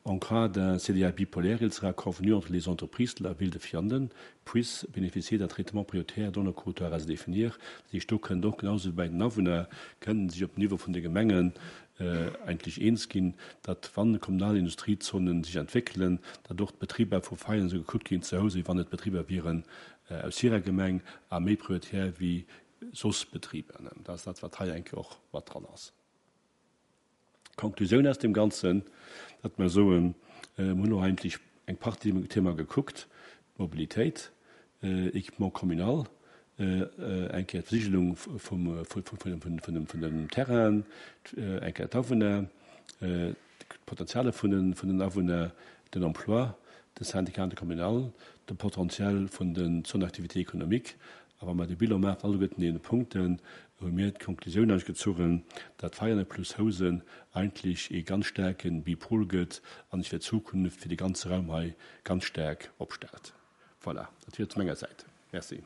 En cas d'un C D A bipolaire, il sera convenu entre les entreprises de la ville de Vianden puissent bénéficier d'un traitement prioritaire dont le quota reste à définir. Dat heescht, do kënnt och, genau esou wéi bei den Awunner, kënnen sech op Niveau vun de Gemengen eigentlech eens ginn, datt wann kommunal Industriezonen sech entwéckelen, datt och d'Betriber vu Veianen esou gekuckt ginn zu Housen, wéi wann et Betriber wieren aus hirer Gemeng a méi prioritär wéi soss Betriber. Dat ass dat, wat hei eng Kéier och mat dran ass. D'Konklusioun aus deem Ganzen, datt mer soen, mir hunn elo eigentlech eng Partie Thema gekuckt, d'Mobilitéit, Équipement communal, eng Kéier d'Versigelung vum vun den Terrainen, eng Kéier d'Awunner, d'Potenziale vun den Awunner, den Emploi, de Syndicat intercommunal, de Potentiel vun den Zones d'activité économique. A wa mer de Bilan maachen, alleguerten deene Punkten, hu mir d'Konklusioun eigentlech gezogen, datt Veianen plus Housen eigentlech ee ganz staarke Bipol gëtt an sech fir d'Zukunft fir de ganze Raum hei ganz staark opstellt. Voilà, dat wier et zu menger Säit. Merci.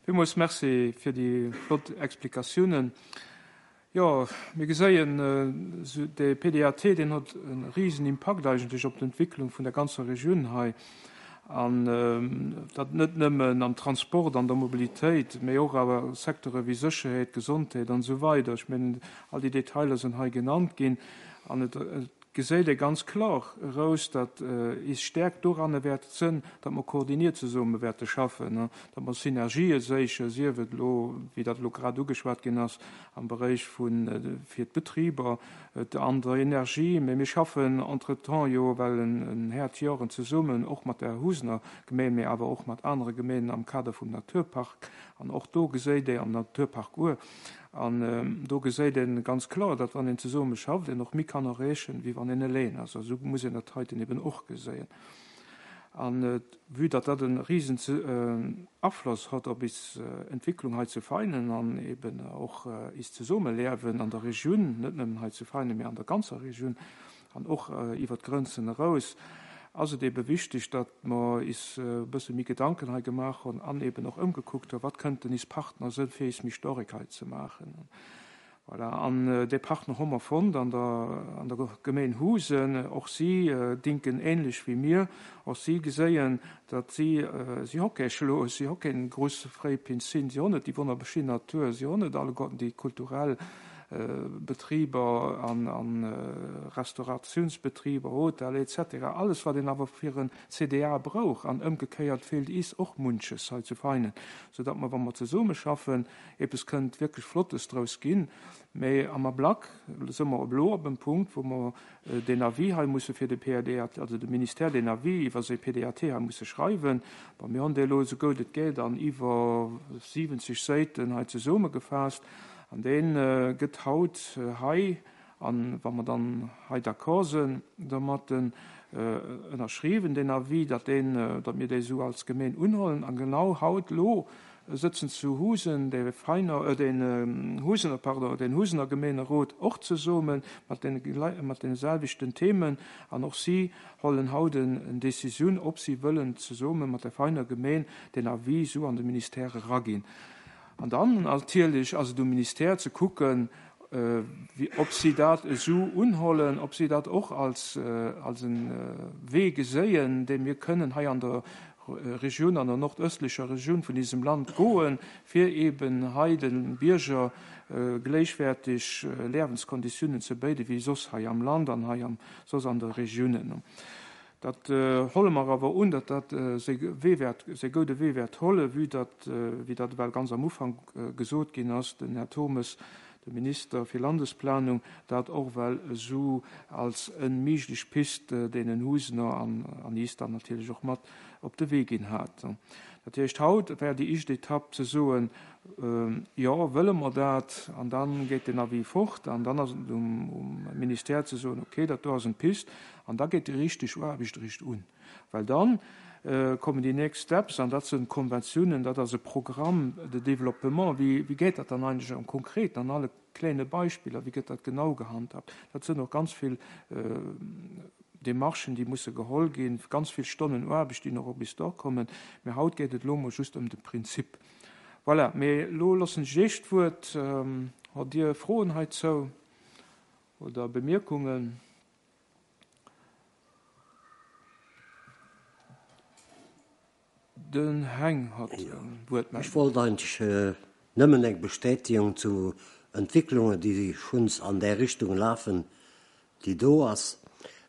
Villmools Merci fir déi flott Explikatiounen. Jo, mir geséien, de P D A T, deen huet e risen Impakt eigentlech op d'Entwicklung vun der ganzer Regioun hei. An dat net nëmmen am Transport, an der Mobilitéit, mee och awer Secteure wéi Sécherheet, Gesondheet an esou weider. Ech mengen, all déi Detailer sinn hei genannt ginn. An et geséit ee ganz kloer eraus, datt is Stäerkt doranner wäert sënn, datt mer koordiniert zesumme wäerte schaffen, datt mer Synergië séichen, sief et elo, wéi dat elo grad ugeschwat ginn ass, am Beréich vu fir d'Betriber, an der Energie. Mee mir schaffen entretemps jo well en Häert Joren zesummen, och mat der Housener Gemeen, mee awer och mat anere Gemeenen am Kader vum Naturpark. An och do geséit ee am Naturpark Our, an do geséit een ganz kloer, datt wann een zesumme schafft, een och méi kann erreechen, wéi wann een eleng ass. A sou muss een dat heiten eben och geséien. An vue datt dat e risen Afloss hat op is Entwicklung hei zu Veinen an eben och is Zesummeliewen an der Regioun, net nëmmen hei zu Veinen, mee an der ganzer Regioun an och iwwer d'Grënzen eraus, Ass et ebe wichteg, datt mer is e bësse méi Gedanken hei gemaach hunn an eben och ëmgekuckt hunn, wat kënnten is Partner sënn, fir is méi storek hei ze maachen. Voilà, an dee Partner hu mer fonnt an der, an der Gemeen Husen. Och si dinken ähnlech wéi mir. Och si geséien, datt si, si hu kee Schloss, si hu keng grouss fréi Piscine, si hunn net déi wonnerbeschinn Natur, si hunn net alleguerten déi kulturell Betriber an, an Restauratiounsbetriber, Hotel et cetera. Alles wat een awer fir en C D A brauch, an ëmgekéiert feelt is och munches hei zu Veinen, soudatt mer, wa mer zesummeschaffen, eppes kënnt wierklech Flottes draus ginn. Mee am Ablack si mer elo op em Punkt, wou mer den Avis hei musse fir de P A D A T, also de Ministère den Avis iwwer säi P D A T hei musse schreiwen. Bon, mir hunn dee elo esou gutt et geet an iwwer siwwenzeg Säiten hei zesummegefaasst. An dee gëtt haut hei, an wa mer dann hei d'accord sinn domat, ënnerschriwwen, den Avis, datt deen, datt mir dee sou als Gemeen unhuelen. An genau haut lo sëtzen zu Husen de Veiner, äh, den Husener, pardon, den Husener Gemeenerot och zesumme mat den, mat den selwechten Themen, an och si hollen haut en Decisioun, ob si wëllen zesumme mat der Veiner Gemeen den Avis sou an de Ministère raginn. An dann natierlech ass et um Ministère ze kucken, äh, wie, ob si dat esou unhollen, ob si dat och als, äh, als en äh, Wee geséien, dee mir kënnen hei an der Regioun, an der nordöstlecher Regioun vun diesem Land goen, fir eben hei den Bierger äh, gläichwäerteg äh, Liewenskonditiounen ze bidde wéi soss hei am Land an hei am soss an der Regiounen. Dat äh, holle mer awer un, dat dat äh, Wee wäert, säi gudde Wee wäert holle, wéi dat, äh, wéi dat well ganz am Ufank äh, gesot ginn ass, den Här Turmes, de Minister fir Landesplanung, dat och well esou als en méiglech Pist äh, deenen Husener an, an is dann natierlech och mat op de Wee ginn hat. Dat heescht, haut wär déi éischt Etapp ze soen, äh, jo, wëlle mer dat, an dann geet den Avis fort, an dann ass et um, um Ministère ze soen, okay, dat do ass eng Pist, an da geet déi richteg Aarbecht richteg un. Well dann äh, kommen déi next Steps, an dat sinn Konventiounen, dat ass e Programme de développement, wéi, wéi geet dat dann eigentlech am konkret an alle klenge Beispiller, wéi gëtt dat genau gehandhabt. Dat sinn och ganz vill äh, Demarchen, déi musse geholl ginn, ganz vill Stonnen Aarbecht, déi nach bis do kommen. Mee haut geet et lo mol just ëm de Prinzip. Voilà, mee lo loossen ech iech d'Wuert, ähm, hutt Dir Froen heizou oder Bemierkungen? Den Heng hat Ja. Wuert. Ech wollt eigentlech äh, nëmmen eng Bestätigung zu Entwécklungen, déi schonns an der Richtung lafen, déi do ass.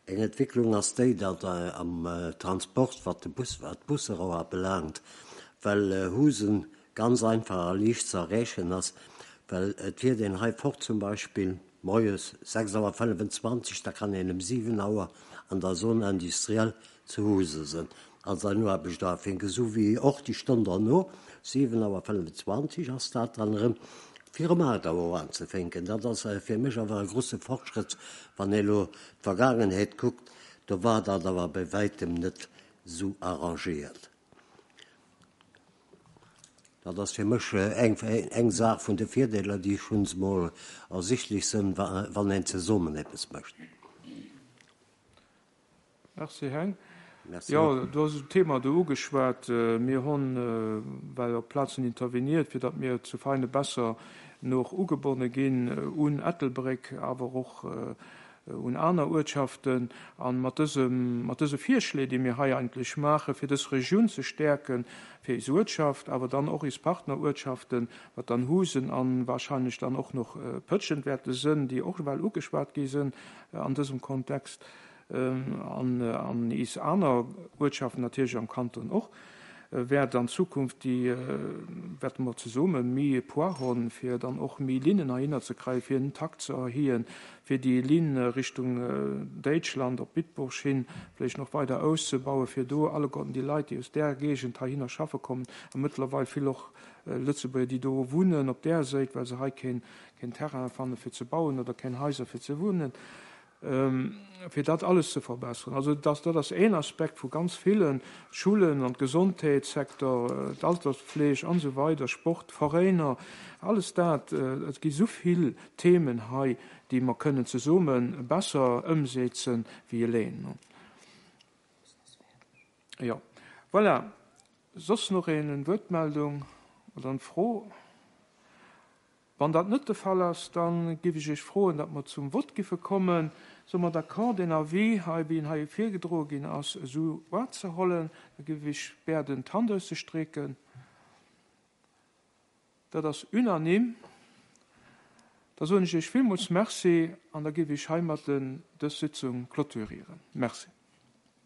Eng Entwécklung ass déi, datt äh, am äh, Transport, wat de Bus, wat d'Busser ubelaangt, well äh, Husen ganz einfach a liicht ze erreechen ass, well et fiert een hei fort zum Beispill moies sechs Auer fënnefenzwanzeg, da kann een ëm siwen Auer an der Zone industrielle zu Huse sinn. Also no Aarbecht ufänken, sou wéi och déi Stonn derno, siwen Auer fënnefenzwanzeg ass dat dann erëm, fir ëm aacht Auer unzefänken. Dat ass äh, fir mech awer e grousse Fortschrëtt, wann een elo d'Vergaangenheet kuckt, do war dat awer bei wäitem net sou arrangéiert. Dat ass fir mech äh, eng, eng Saach vun de Virdeeler, déi schonns mol ersichtlech sinn, wann een zesummen eppes mécht. Merci, Heng. Merci. Jo, du hues d'Thema do ugeschwat. Äh, mir hunn äh, well op Plazen intervenéiert, fir datt mir zu Veine besser nach ugebonne ginn äh, un Ettelbréck, awer och un aner Uertschaften, an mat dësem mat dëse Virschléi, déi mir hei eigentlech maache fir dës Regioun ze stäerken, fir eis Uertschaft, awer dann och eis Partneruertschaften, wat dann Husen an warscheinlech dann och nach Pëtschent wäerte sinn, déi och well ugeschwat gi sinn an dësem Kontext, an, an is aner Uertschaften natierlech am Kanton och, wäert an Zukunft déi wäerte mer zesumme méi Poids hunn, fir dann och méi Linnen heihinner ze kréien, fir den Takt ze erhéien, fir déi Linn Richtung Däitschland op Bitburg hin vläicht nach weider auszebauen, fir do alleguerten déi Leit, déi aus där Géigend heihinner schaffe kommen, a mëttlerweil vill och Lëtzebuerger, déi do wunnen op där Säit, well se hei keen, keen Terrain fanne fir ze bauen oder keng Haiser fir ze wunnen, fir dat alles ze verbesseren. Also dat, dat ass een Aspekt vu ganz villen Schoulen an Gesondheetssecteur, d'Alterspfleg an esou weider, Sport, Veräiner, alles dat, et gi sou vill Themen hei, déi mer kënnen zesumme besser ëmsetzen wéi eleng. Jo, voilà. Soss nach eng Wuertmeldung oder eng Fro? Wann dat net de Fall ass, dann géif ech iech froen, datt mer zum Vott giffe kommen. Si mer d'accord, den Avis hei, wéi en hei virgedroe ginn ass, esou unzehuelen? Da géif ech bieden, d'Hand auszestrecken. Dat ass unanime. Da soen ech iech villmools Merci an da géif ech heimat dës Sitzung clôturieren. Merci.